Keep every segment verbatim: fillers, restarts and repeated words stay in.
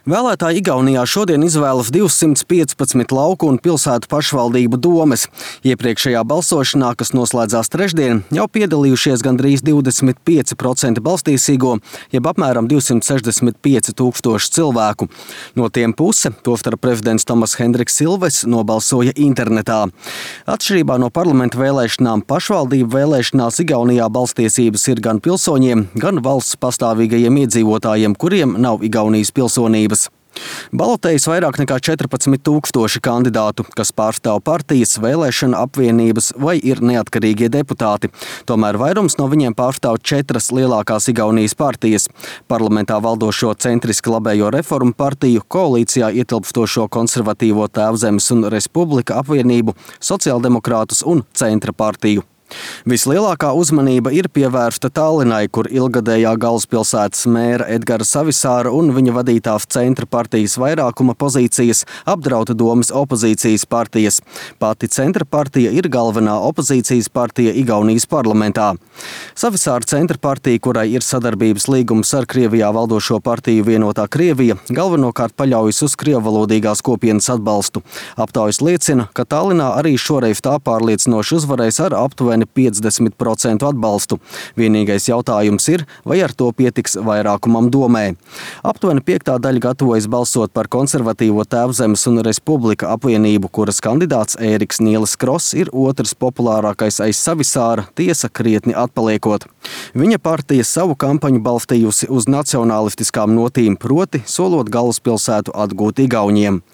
Vēlētāji Igaunijā šodien izvēlas divsimt piecpadsmit lauku un pilsētu pašvaldību domes. Iepriekšējā balsošanā, kas noslēdzās trešdien, jau piedalījušies gandrīz divdesmit pieci procenti balstīsīgo, jeb apmēram divsimt sešdesmit pieci tūkstoši cilvēku. No tiem puse, tostarp prezidents Tomas Hendriks Ilves, nobalsoja internetā. Atšķirībā no parlamenta vēlēšanām, pašvaldību vēlēšanās Igaunijā balstiesības ir gan pilsoņiem, gan valsts pastāvīgajiem iedzīvotājiem, kuriem nav Igaunijas pilsonības. Balotējas vairāk nekā četrpadsmit tūkstoši kandidātu, kas pārstāv partijas, vēlēšana apvienības vai ir neatkarīgie deputāti. Tomēr vairums no viņiem pārstāv četras lielākās Igaunijas partijas – parlamentā valdošo centriski labējo reformu partiju, koalīcijā ietilpstošo konservatīvo Tēvzemes un Respublika apvienību, sociāldemokrātus un centra partiju. Vislielākā uzmanība ir pievērsta Tallinai, kur ilgadējā galvaspilsētas mēra Edgara Savisāra un viņa vadītās centra partijas vairākuma pozīcijas apdrauda domas opozīcijas partijas. Pati centra partija ir galvenā opozīcijas partija Igaunijas parlamentā. Savisāra centra partija, kurai ir sadarbības līgums ar Krievijā valdošo partiju Vienotā Krievija, galvenokārt paļaujas uz krievvalodīgās kopienas atbalstu. Aptaujas liecina, ka Tallinā arī šoreiz tā pārliecinoši uzvarēs ar aptuveni piecdesmit procentu atbalstu. Vienīgais jautājums ir, vai ar to pietiks vairākumam domē. Aptuveni piektā daļa gatavojas balsot par konservatīvo Tēvzemes un Respublika apvienību, kuras kandidāts Ēriks Nielis Kross ir otrs populārākais aiz Savisāra, tiesa krietni atpaliekot. Viņa partija savu kampaņu balstījusi uz nacionālistiskām notīm, proti solot galvaspilsētu atgūt igauņiem.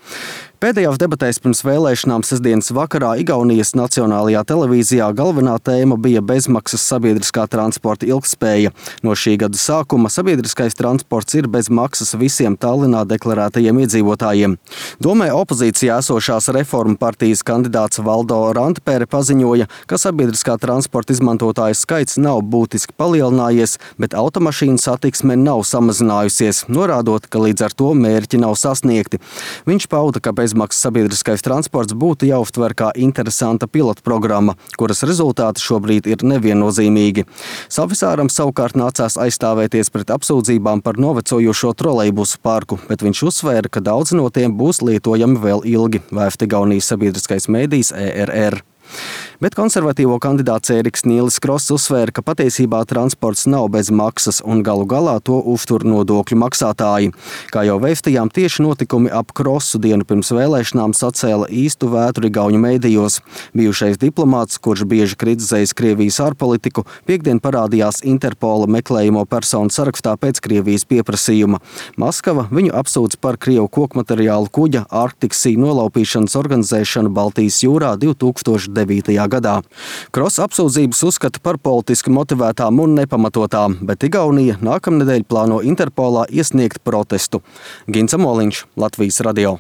Pēdējās debatēs pirms vēlēšanām sestdienas vakarā Igaunijas nacionālajā televīzijā galvenā tēma bija bezmaksas sabiedriskā transporta ilgtspēja. No šī gada sākuma sabiedriskais transports ir bez maksas visiem Tallinā deklarētajiem iedzīvotājiem. Domē opozīcijā esošās reformu partijas kandidāts Valdo Randpere paziņoja, ka sabiedriskā transporta izmantotāju skaits nav būtiski palielinājies, bet automašīnu satiksme nav samazinājusies, norādot, ka līdz ar to mērķi nav sasniegti. Viņš pauda, ka bezmaksas sabiedriskais transports būtu jāuztver kā interesanta pilotprogramma, kuras rezultāti šobrīd ir neviennozīmīgi. Savisāram savukārt nācās aizstāvēties pret apsūdzībām par novecojošo trolejbusu parku, bet viņš uzsvēra, ka daudz no tiem būs lietojami vēl ilgi, vēsta Igaunijas sabiedriskais mēdījis E R R. Bet konservatīvo kandidāts Ēriks Nielis Kross uzsvēra, ka patiesībā transports nav bez maksas un galu galā to uztur nodokļu maksātāji. Kā jau vēstījām, tieši notikumi ap Krossu dienu pirms vēlēšanām sacēla īstu vētru igauņu mēdījos. Bijušais diplomāts, kurš bieži kritizējis Krievijas ārpolitiku, piektdien parādījās Interpola meklējamo personu sarakstā pēc Krievijas pieprasījuma. Maskava viņu apsūdz par Krievu kokmateriālu kuģa Arctic Sea nolaupīšanas organizēšanu Baltijas jūrā divi tūkstoši devītajā gadā. Kross apsūdzības uzskata par politiski motivētām un nepamatotām, bet Igaunija nākamnedēļ plāno Interpolā iesniegt protestu. Gints Amoliņš, Latvijas radio.